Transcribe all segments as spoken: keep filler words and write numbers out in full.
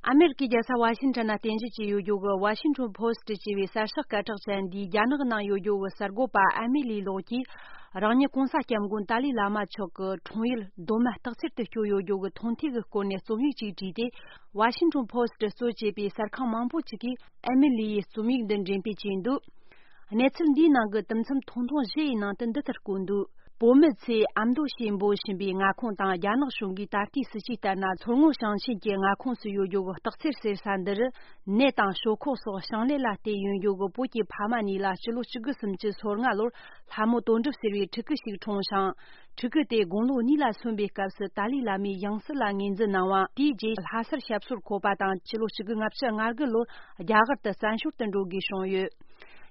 ཨ་མེ་རི་ཀའི་རྒྱལ་ས་ཝ་ཤིང་ཊོན་ན་རྟེན་གཞི་བྱས་ཡོད་རྒྱུ་གི་ཝ་ཤིང་ཊོན་པོ་སི་ཊི་ཅེས་པའི་གསར་ཤོག་སྐད་གྲགས་ཅན་འདིས་རྒྱ་ནག་ནང་ཡོད་རྒྱུ་གི་གསར་འགོད་པ་ཨ་མེ་ལི་ལོག་གིས། རང་ཉིད་གོང་ས་སྐྱབས་མགོན་ཏཱ་ལའི་བླ་མ་མཆོག་གི་འཁྲུངས་ཡུལ་རྡོ་སྨད་སྟག་འཚེར་དུ་བསྐྱོད་ཡོད་རྒྱུ་གི་མཐོང་ཐོས་ཀྱི་སྐོར་ནས་རྩོམ་ཡིག་ཅིག་བྲིས་ཏེ། ཝ་ཤིང་ཊོན་པོ་སི་ཊི་གཙོ་བྱས་པའི་གསར་ཁང་མང་པོ་ཅིག་གིས་ཨ་མེ་ལི་ཡི་རྩོམ་ཡིག་འདི་འགྲེམས་སྤེལ་བྱས་འདུག་གནས་ཚུལ་འདིའི་ནང་གི་དུམ་མཚམས་ཐུང་ཐུང་བཞི་ཡི་ནང་དུ་འདི་ལྟར་བཀོད་འདུག་བོད་མི་ཚོས་ཨ་མདོ་ཞེས་འབོད་བཞིན་པའི་མངའ་ཁོངས་དང་རྒྱ་ནག་གཞུང་གིས་ད་ལྟའི་སྲིད་ཇུས་ལྟར་ན་མཚོ་སྔོན་ཞིང་ཆེན་གྱི་མངའ་ཁོངས་སུ་ཡོད་རྒྱུ་གི་སྟག་འཚེར་ཟེར་ས་འདི་རུ། ནས་དང་ཞོག་ཁོག་སོགས་ཞིང་ལས་ལ་བརྟེན་ཡོང་རྒྱུ་གི་བོད་ཀྱི་ཕ་མ་གཉིས་ལ་སྤྱི་ལོ་གཅིག་དགུ་སུམ་ཅུ་སོ་ལྔ་ལོར་ལྷ་མོ་དོན་གྲུབ་ཟེར་བའི་ཕྲུ་གུ་ཞིག་འཁྲུངས་ཤིང་། ཕྲུ་གུ་དེ་དགུང་ལོ་གཉིས་ལ་སོན་པའི་སྐབས་སུ་ཏཱ་ལའི་བླ་མའི་ཡང་སྲིད་ལ་ངོས་འཛིན་གནང་བ། དེའི་རྗེས་ལྷ་སར་ཞབས་སོར་འཁོད་པ་དང་། སྤྱི་ལོ་གཅིག་དགུ་ལྔ་བཅུ་ང་དགུ་ལོར་རྒྱ་གར་དུ་བཙན་བྱོལ་དུ་འགྲོ་དགོས་བྱུང་ཡོད།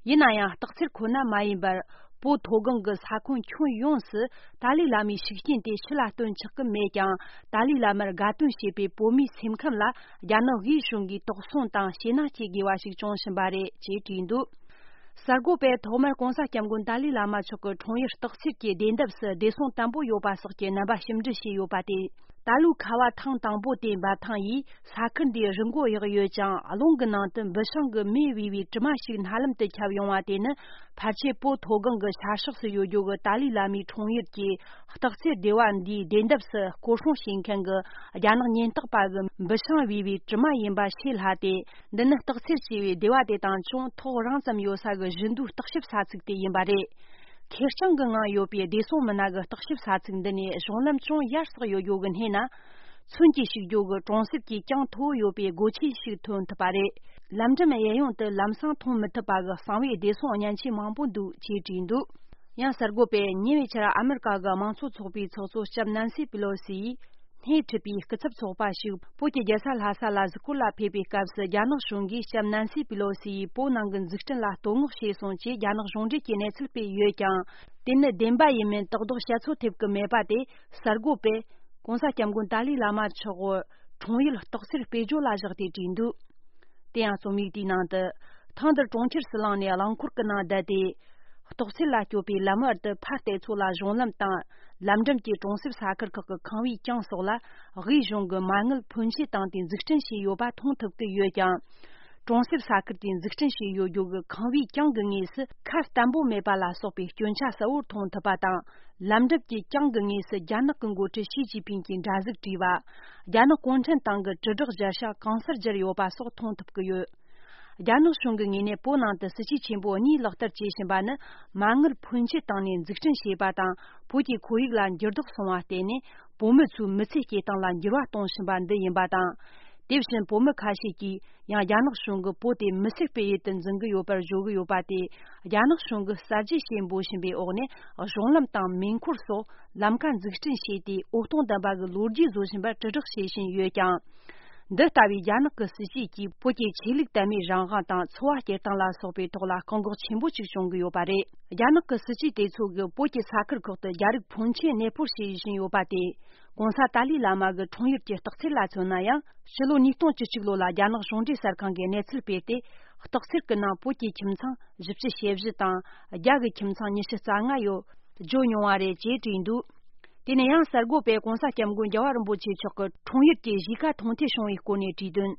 ཡིན་ན་ཡང་སྟག་འཚེར་ཁོ་ན་མ་ཡིན་པར། བོད་མཐོ་སྒང་གི་ས་ཁོངས་ཁྱོན་ཡོངས་སུ་ཏཱ་ལའི་བླ་མའི་ཤུགས་རྐྱེན་དེ་ཕྱི་ལ་སྟོན་ཆོག་གི་མེད་ཀྱང་། ཏཱ་ལའི་བླ་མར་དགའ་སྟོན་བྱེད་པའི་བོད་མིའི་སེམས་ཁམས་ལ་རྒྱ་ནག་དབུས་གཞུང་གིས་དོགས་ཟོན་དང་ཞེད་སྣང་སྐྱེ་དགོས་པ་ཞིག་བྱུང་བཞིན་པ་རེད་ཅེས་བྲིས་འདུག་གསར་འགོད་པས་ཐོག་མར་གོང་ས་སྐྱབས་མགོན་ཏཱ་ལའི་བླ་མ་མཆོག་གི་འཁྲུངས་ཡུལ་སྟག་འཚེར་གྱི་བདེ་འདབས་སུ་བདེ་སྲུང་དམ་པོ་ཡོད་པ་སོགས་ཀྱི་རྣམ་པ་ཞིབ་འབྲི་བྱས་ཡོད་པ་སྟེ། ད་ལོའི་ཁ་བ་ཐེངས་དང་པོ་དེའི་འབབ་ཐང་ཡིས་ས་ཁུལ་འདིའི་རི་མགོ་གཡོགས་ཡོད་ཅིང་། རླུང་གི་ནང་དུ་འབུ་སྲང་གི་མེ་བུས་པའི་དྲི་མ་ཞིག་སྣ་ལམ་དུ་ཁྱབ་ཡོང་བ་དེ་ནི། ཕལ་ཆེར་བོད་མཐོ་སྒང་གི་ཤར་ཕྱོགས་སུ་ཡོད་རྒྱུ་གི་ཏཱ་ལའི་བླ་མའི་འཁྲུངས་ཡུལ་གྱི་སྟག་འཚེར་སྡེ་བ་འདིའི་བདེ་འདབས་སུ་སྐོར་སྲུང་བྱེད་མཁན་གྱི་རྒྱ་ནག་ཉེན་རྟོག་པ་གི་འབུ་སྲང་བུས་པའི་དྲི་མ་ཡིན་པ་ཤེས་སླ་སྟེ། འདི་ནི་སྟག་འཚེར་ཞེས་པའི་སྡེ་བ་དེ་དང་ཅུང་ཐག་རིང་ཙམ་ཡོད་ས་གི་བཞི་མདོའི་བརྟག་ཞིབ་ས་ཚིགས་དེ་ཡིན་པ་རེད། ཁེར་རྐྱང་གི་ངང་ཡོད་པའི་བདེ་སྲུང་མི་སྣ་གི་བརྟག་ཞིབ་ས་ཚིགས་འདི་ནས་གཞུང་ལམ་ཅུང་ཡར་སོགས་ཡོད་རྒྱུ་གི་སྣེ་ན། མཚོན་གྱིས་ཞིག་རྒྱུ་གི་གྲོང་གསེབ་ཀྱི་གྱང་མཐོ་བོ་ཡོད་པའི་སྒོ་ཆེན་ཞིག་ཐོན་ཐུབ་པ་རེད། ལམ་འགྲམ་གཡས་གཡོན་དུ་ལམ་སང་མཐོང་མི་ཐུབ་པ་གི་གསང་བའི་བདེ་སྲུང་བརྙན་ཆས་མང་པོ་འདུག་ཅེས་བྲིས་འདུག་ཡང་གསར་འགོད་པས་ཉེ་བའི་ཆར་ཨ་མི་རི་ཀ་གི་དམངས་གཙོ་ཚོགས་པའི་ཚོགས་གཙོ་ལྕམ་ནན་སི་པི་ལོ་སི་ཡིས། སྣེ་ཁྲིད་པའི་སྐུ་ཚབ་ཚོགས་པ་ཞིག་བོད་ཀྱི་རྒྱལ་ས་ལྷ་ས་ལ་གཟིགས་སྐོར་ལ་ཕེབས་པའི་སྐབས་སུ། རྒྱ་ནག་གཞུང་གིས་ལྕམ་ནན་སི་པི་ལོ་སི་ཡིས་བོད་ནང་གི་འཛུགས་སྐྲུན་ལ་བསྟོད་བསྔགས་བྱས་སོང་ཅེས་རྒྱ་ནག་གཞུང་འབྲེལ་གྱི་གནས་ཚུལ་སྤེལ་ཡོད་ཀྱང་། དེ་ནི་བདེན་པ་ཡིན་མིན་དག་ལྡོག་བཤད་ཚོད་ཐེབས་ཀྱི་མེད་པ་དེ། གསར་འགོད་པས་༸གོང་ས་༸སྐྱབས་མགོན་ཏཱ་ལའི་བླ་མ་མཆོག་འཁྲུངས་ཡུལ་སྟག་འཚེར་དཔེ་བརྗོད་ལ་བཞག་སྟེ་བྲིས་འདུག་དེ་ཡང་རྩོམ་ཡིག་དེའི་ནང་དུ། ཐེངས་འདིར་གྲོང་ཁྱེར་སུ་ལངས་ནས་རླངས་འཁོར་གྱི་ནང་བསྡད་དེ། སྟག་འཚེར་ལ་སྐྱོད་པའི་ལམ་བར་དུ་ཕར་བལྟས་ཚོད་ལ་གཞུང་ལམ་དང་། ལམ་འགྲམ་གྱི་གྲོང་གསེབ་ས་ཁུལ་ཁག་གི་ཁང་བའི་གྱང་སོགས་ལ། དབུས་གཞུང་གི་མ་དངུལ་ཕོན་ཆེ་བཏང་སྟེ་འཛུགས་སྐྲུན་བྱས་ཡོད་པ་མཐོང་ཐུབ་ཀྱི་ཡོད་ཀྱང་། གྲོང་གསེབ་ས་ཁུལ་དེའི་འཛུགས་སྐྲུན་བྱས་ཡོད་རྒྱུ་གི་ཁང་བའི་གྱང་གི་ངོས་སུ་ཁ་བརྟན་པོ་མེད་པ་ལ་སོགས་པའི་སྐྱོན་ཆ་གསལ་བོར་མཐོང་ཐུབ་པ་དང་། ལམ་འགྲམ་གྱི་གྱང་གི་ངོས་སུ་རྒྱ་ནག་གི་འགོ་ཁྲིད་ཞི་ཅིན་ཕིང་གི་འདྲ་གཟུགས་བྲིས་པ། རྒྱ་ནག་གུང་ཁྲན་ཏང་གི་དྲིལ་བསྒྲགས་སྦྱར་བྱ་གང་སར་སྦྱར་ཡོད་པ་སོགས་མཐོང་ཐུབ་ཀྱི་ཡོད། རྒྱ་ནག་གཞུང་གི་ངོས་ནས་བོད་ནང་དུ་སྲིད་ཇུས་ཆེན་པོ་གཉིས་ལག་བསྟར་བྱེད་བཞིན་པ་ནི། མ་དངུལ་ཕོན་ཆེ་བཏང་ནས་འཛུགས་སྐྲུན་བྱས་པ་དང་། བོད་ཀྱི་ཁོར་ཡུག་ལ་འགྱུར་ལྡོག་སོང་བ་བརྟེན་ནས། བོད་མི་ཚོའི་མི་ཚེ་སྐྱེལ་སྟངས་ལ་འགྱུར་བ་གཏོང་བཞིན་པ་འདི་ཡིན་པ་དང་། དེ་བཞིན་བོད་མི་ཁ་ཤས་ཀྱིས་ཡང་རྒྱ་ནག་གཞུང་གིས་བོད་དེ་མི་སེར་སྤེལ་ཡུལ་དུ་འཛིན་གྱི་ཡོད་པར་བརྗོད་ཀྱི་ཡོད་པ་དེ། རྒྱ་ནག་གཞུང་གིས་གསར་བརྗེ་ཞེས་འབོད་བཞིན་པའི་འོག་ནས། གཞུང་ལམ་དང་མེ་འཁོར་སོགས་ལམ་ཁ་འཛུགས་སྐྲུན་བྱས་ཏེ། འོད་སྟོང་ལྡན་པ་གི་ལོ་རྒྱུས་བཟོ་བཞིན་པར་དྲིལ་བསྒྲགས་བྱེད་བཞིན་ཡོད་ཀྱང་། འདི་ལྟ་བུའི་རྒྱ་ནག་གི་སྲིད་ཇུས་ཀྱིས་བོད་ཀྱི་ཆོས་ལུགས་དད་མོས་རང་དབང་དང་། འཚོ་བ་སྐྱེལ་སྟངས་ལ་སོགས་པའི་ཐོག་ལ་བཀག་འགོག་ཆེན་པོ་ཅིག་བྱུང་གི་ཡོད་པ་རེད། རྒྱ་ནག་གི་སྲིད་ཇུས་དེ་ཚོ་གིས་བོད་ཀྱི་ས་ཁུལ་ཁག་ཏུ་རྒྱ་རིགས་ཕོན་ཆེ་གནས་སྤོར་བྱེད་བཞིན་ཡོད་པ་དེ། ༸གོང་ས་ཏཱ་ལའི་བླ་མ་གི་འཁྲུངས་ཡུལ་གྱི་སྟག་འཚེར་ལ་མཚོན་ན་ཡང་། ཕྱི་ལོ་ཉིས་སྟོང་བཅུ་གཅིག་ལོ་ལ་རྒྱ་ནག་གཞུང་འབྲེལ་གསར་ཁང་གིས་གནས་ཚུལ་སྤེལ་ཏེ། སྟག་འཚེར་གྱི་ནང་བོད་ཀྱི་ཁྱིམ་ཚང་བཞི་བཅུ་ཞེ་བཞི་དང་། རྒྱ་གི་ཁྱིམ་ཚང་ཉི་ཤུ་རྩ་ལྔ་ཡོད། བརྗོད་མྱོང་བ་རེད་ཅེས་བྲིས་འདུག་དེ་ནས་ཡང་གསར་འགོད་པས་༸གོང་ས་༸སྐྱབས་མགོན་རྒྱལ་བ་རིན་པོ་ཆེ་མཆོག་གི་འཁྲུངས་ཡུལ་གྱི་གཞིས་ཀ་མཐོང་ཐོས་བྱུང་བའི་སྐོར་ནས་བྲིས་དོན།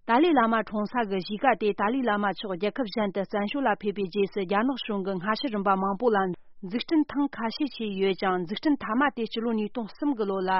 ཏཱ་ལའི་བླ་མ་འཁྲུངས་ས་གི་གཞིས་ཀ་དེ། ཏཱ་ལའི་བླ་མ་མཆོག་རྒྱལ་ཁབ་གཞན་དུ་བཙན་བྱོལ་ལ་ཕེབས་པའི་རྗེས་སུ། རྒྱ་ནག་གཞུང་གིས་སྔ་ཕྱི་རིམ་པ་མང་པོ་ལ་འཛུགས་སྐྲུན་ཐེངས་ཁ་ཤས་བྱས་ཡོད་ཀྱང་། འཛུགས་སྐྲུན་མཐའ་མ་དེ་སྤྱི་ལོ་ཉིས་སྟོང་གསུམ་གི་ལོ་ལ།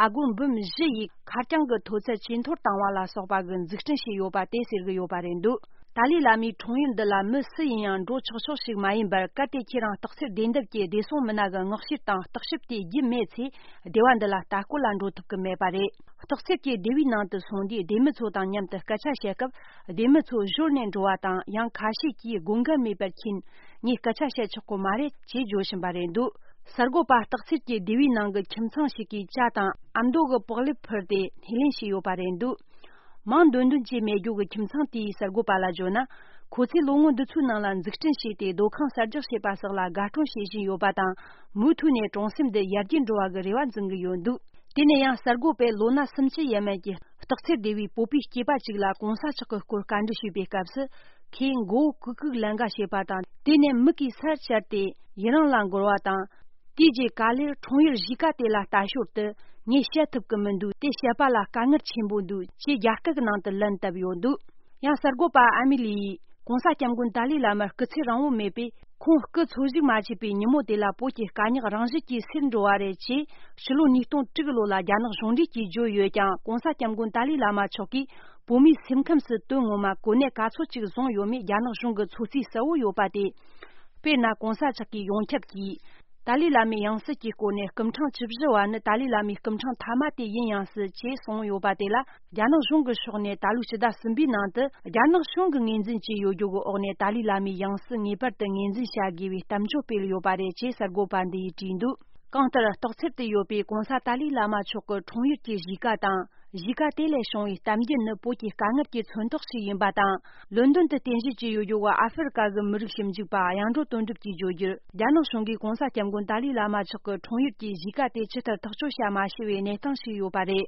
ཨ་སྒོར་འབུམ་བཞི་ཡི་ཁ་རྐྱང་གི་མཐོ་ཚད་ཇེ་མཐོར་བཏང་བ་ལ་སོགས་པ་གི་འཛུགས་སྐྲུན་བྱས་ཡོད་པ་དེ་ཟེར་གི་ཡོད་པ་རེད་འདུག་ཏཱ་ལའི་བླ་མའི་འཁྲུངས་ཡུལ་འདི་ལ་མི་སུ་ཡིན་ཡང་འགྲོ་ཆོག་ཆོག་ཞིག་མ་ཡིན་པར། གལ་ཏེ་ཁྱེད་རང་སྟག་འཚེར་བདེ་འདབས་ཀྱི་བདེ་སྲུང་མི་སྣ་གི་མངགས་བཤེར་དང་བརྟག་ཞིབ་དེ་བརྒྱུད་མེད་ཚེ། སྡེ་བ་འདི་ལ་ལྟ་སྐོར་ལ་འགྲོ་ཐུབ་ཀྱི་མེད་པ་རེད། སྟག་འཚེར་གྱི་སྡེ་བའི་ནང་དུ་སོང་དུས། སྡེ་མི་ཚོ་དང་མཉམ་དུ་སྐད་ཆ་བཤད་སྐབས། སྡེ་མི་ཚོ་གཞོལ་ནས་འགྲོ་བ་དང་། ཡང་ཁ་ཤས་ཀྱིས་དགོས་འགལ་མེད་པར་ཁྱེད་ངས་སྐད་ཆ་བཤད་ཆོག་གི་མ་རེད་ཅེས་བརྗོད་བཞིན་པ་རེད་འདུག་གསར་འགོད་པ་སྟག་འཚེར་གྱི་སྡེ་བའི་ནང་གི་ཁྱིམ་ཚང་ཞིག་གིས་ཇ་དང་ཨ་མདོ་གི་པགས་ལེབ་ཕུལ་ཏེ་སྣེ་ལེན་བྱས་ཡོད་པ་རེད་འདུག་མིང་འདོན་འདོན་བྱས་མེད་རྒྱུ་གི་ཁྱིམ་ཚང་དེའི་གསར་འགོད་པ་ལ་བརྗོད་ན། ཁོ་ཚོས་ལོ་ངོ་འདི་ཚོའི་ནང་ལ་འཛུགས་སྐྲུན་བྱས་ཏེ། སྡོད་ཁང་གསར་རྒྱག་བྱས་པ་སོགས་ལ་དགའ་སྤྲོ་བྱེད་བཞིན་ཡོད་པ་དང་། མུ་མཐུད་ནས་གྲོང་གསེབ་འདི་ཡར་རྒྱས་འགྲོ་བ་གི་རེ་བ་འཛིན་གི་ཡོད་འདུག་དེ་ནས་ཡང་གསར་འགོད་པས་ལོ་ན་སུམ་ཅུ་ཡས་མས་ཀྱི་སྟག་འཚེར་སྡེ་བའི་བོད་པའི་སྐྱེས་པ་ཅིག་ལ་གོང་ས་མཆོག་གི་སྐོར་བཀའ་འདྲི་ཞུས་པའི་སྐབས་སུ། ཁོས་མགོ་བོ་ཀུག་ཀུག་ལན་འགའ་བྱེད་པ་དང་། དེ་ནས་མིག་གིས་སར་བཅར་ཏེ་ཡི་རང་ལ་འགོར་བ་དང་། དེའི་རྗེས་ག་ལེར་འཁྲུངས་ཡུལ་གཞིས་ཀ་དེ་ལ་ལྟ་ཞོར་དུ། ངས་བཤད་ཐུབ་ཀྱི་མི་འདུག་དེ་བཤད་པ་ལ་དཀའ་ངལ་ཆེན་པོ་འདུག་ཅེས་རྒྱ་སྐད་ཀྱི་ནང་དུ་ལན་བཏབ་ཡོད་འདུག་ཡང་གསར་འགོད་པ་ཨ་མི་ལི་ཡིས་༸གོང་ས་༸སྐྱབས་མགོན་ཏཱ་ལའི་བླ་མར་སྐུ་ཚེ་རིང་བོ་མེད་པས། ཁོང་སྐུ་འཚོ་བཞུགས་མ་བྱས་པའི་ཉིན་མོ་དེ་ལ་བོད་ཀྱི་དཀའ་རྙོག་རང་བཞིན་གྱིས་སེལ་འགྲོ་བ་རེད་ཅེས་ཕྱི་ལོ་ཉིས་སྟོང་དྲུག་ལོ་ལ་རྒྱ་ནག་གཞུང་འབྲེལ་གྱིས་བརྗོད་ཡོད་ཀྱང་༸གོང་ས་༸སྐྱབས་མགོན་ཏཱ་ལའི་བླ་མ་མཆོག་གིས་བོད་མིའི་སེམས་ཁམས་སུ་དོན་ངོ་མ་གོ་གནས་ག་ཚོད་ཅིག་བཟུང་ཡོད་མེད་རྒྱ་ནག་གཞུང་གི་ཚོད་རྩིས་གསལ་བོ་ཡོད་པ་སྟེ། དཔེར་ན་༸གོང་ས་མཆོག་གིས་ཡོངས་ཁྱབ་ཀྱིས་ཏཱ་ལའི་བླ་མའི་ཡང་སྲིད་ཀྱི་སྐོར་ནས་སྐུ་ཕྲེང་བཅུ་བཞི་བ་ནི་ཏཱ་ལའི་བླ་མའི་སྐུ་ཕྲེང་མཐའ་མ་དེ་ཡིན་ཡང་སྲིད་ཅེས་གསུངས་ཡོད་པ་དེ་ལ། རྒྱ་ནག་གཞུང་གི་ཕྱོགས་ནས་ད་ལོའི་ཕྱི་ཟླ་གསུམ་པའི་ནང་དུ་རྒྱ་ནག་གཞུང་གིས་ངོས་འཛིན་བྱས་ཡོད་རྒྱུ་གི་འོག་ནས་ཏཱ་ལའི་བླ་མའི་ཡང་སྲིད་ངེས་པར་དུ་ངོས་འཛིན་བྱ་དགོས་པའི་གཏམ་བརྗོད་སྤེལ་ཡོད་པ་རེད་ཅེས་གསར་འགོད་པ་འདི་ཡིས་བྲིས་འདུག་གང་ལྟར། སྟག་འཚེར་དུ་ཡོད་པའི་༸གོང་ས་ཏཱ་ལའི་བླ་མ་མཆོག་གི་འཁྲུངས་ཡུལ་གྱི་གཞིས་ཀ་དང་། གཞིས་ཀ་དེ་ལས་བྱུང་བའི་གཏམ་རྒྱུད་ནི་བོད་ཀྱི་དཀའ་ངལ་གྱི་མཚོན་རྟགས་ཤིག་ཡིན་པ་དང་། ལོན་ཌོན་དུ་རྟེན་གཞི་བྱས་ཡོད་རྒྱུ་བ་ཨ་ཧྥེ་རི་ཀ་གི་མི་རིགས་ཞིབ་འཇུག་པ་གཡང་འགྲོ་དོན་གྲུབ་ཀྱིས་བརྗོད་རྒྱུར། རྒྱ་ནག་གཞུང་གིས་༸གོང་ས་༸སྐྱབས་མགོན་ཏཱ་ལའི་བླ་མ་མཆོག་གི་འཁྲུངས་ཡུལ་གྱི་གཞིས་ཀ་དེ་ཇི་ལྟར་ཐག་གཅོད་བྱ་མ་ཤེས་པའི་གནས་སྟངས་ཤིག་ཡོད་པ་རེད།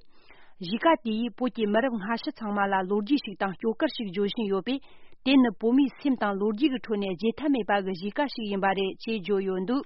གཞིས་ཀ་དེ་ཡིས་བོད་ཀྱི་མི་རབས་སྔ་ཕྱི་ཚང་མ་ལ་ལོ་རྒྱུས་ཤིག་དང་སྐྱོ་གར་ཞིག་བརྗོད་བཞིན་ཡོད་པས། དེ་ནི་བོད་མིའི་སེམས་དང་ལོ་རྒྱུས་ཀྱི་ཁྲོད་ནས་བརྗེད་ཐབས་མེད་པ་གི་གཞིས་ཀ་ཞིག་ཡིན་པ་རེད་ཅེས་བརྗོད་ཡོད་འདུག